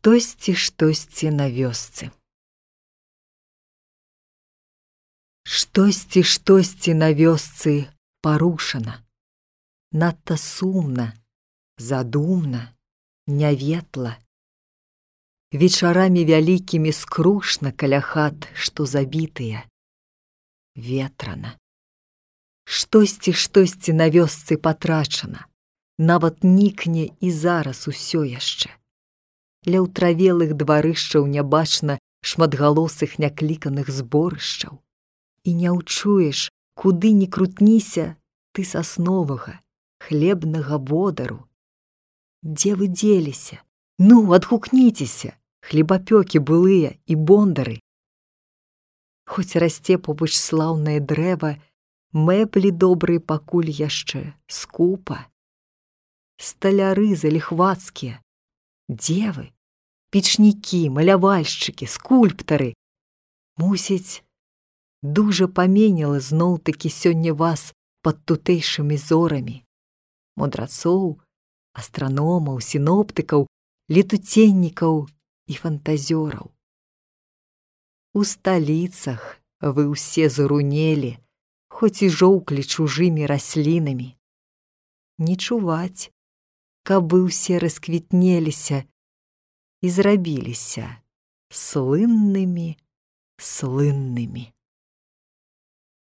Штосьці на вёсцы. Штосьці на вёсцы парушана. Надта сумна, задумна, няветла. Вечарамі вялікімі скрушна каля хат, што забітыя. Ветрана. Штосьці на вёсцы патрачана. Нават нікне і зараз усё яшчэ. Ля ўтравелых дварышчаў не бачна шматгалосых някліканых зборышчаў. І не ўчуеш, куды ні крутніся, ты сасновага, хлебнага водару. Дзе вы дзеліся? Ну, адгукніцеся, хлебапёкі былыя і бондары. Хоць расце побач слаўнае дрэва, мэблі добрыя пакуль яшчэ скупа. Сталяры заліхвацкія. Дзе вы? Печнікі, малявальшчыкі, скульптары. Мусіць, дужа паменяла зноў-такі сёння вас пад тутэйшымі зорамі. Мудрацоў, астраномаў, сіноптыкаў, летуценнікаў і фантазёраў. У сталіцах вы ўсе зарунелі, хоць і жоўклі чужымі раслінамі. Не чуваць, каб вы ўсе расквітнеліся і зрабіліся слыннымі.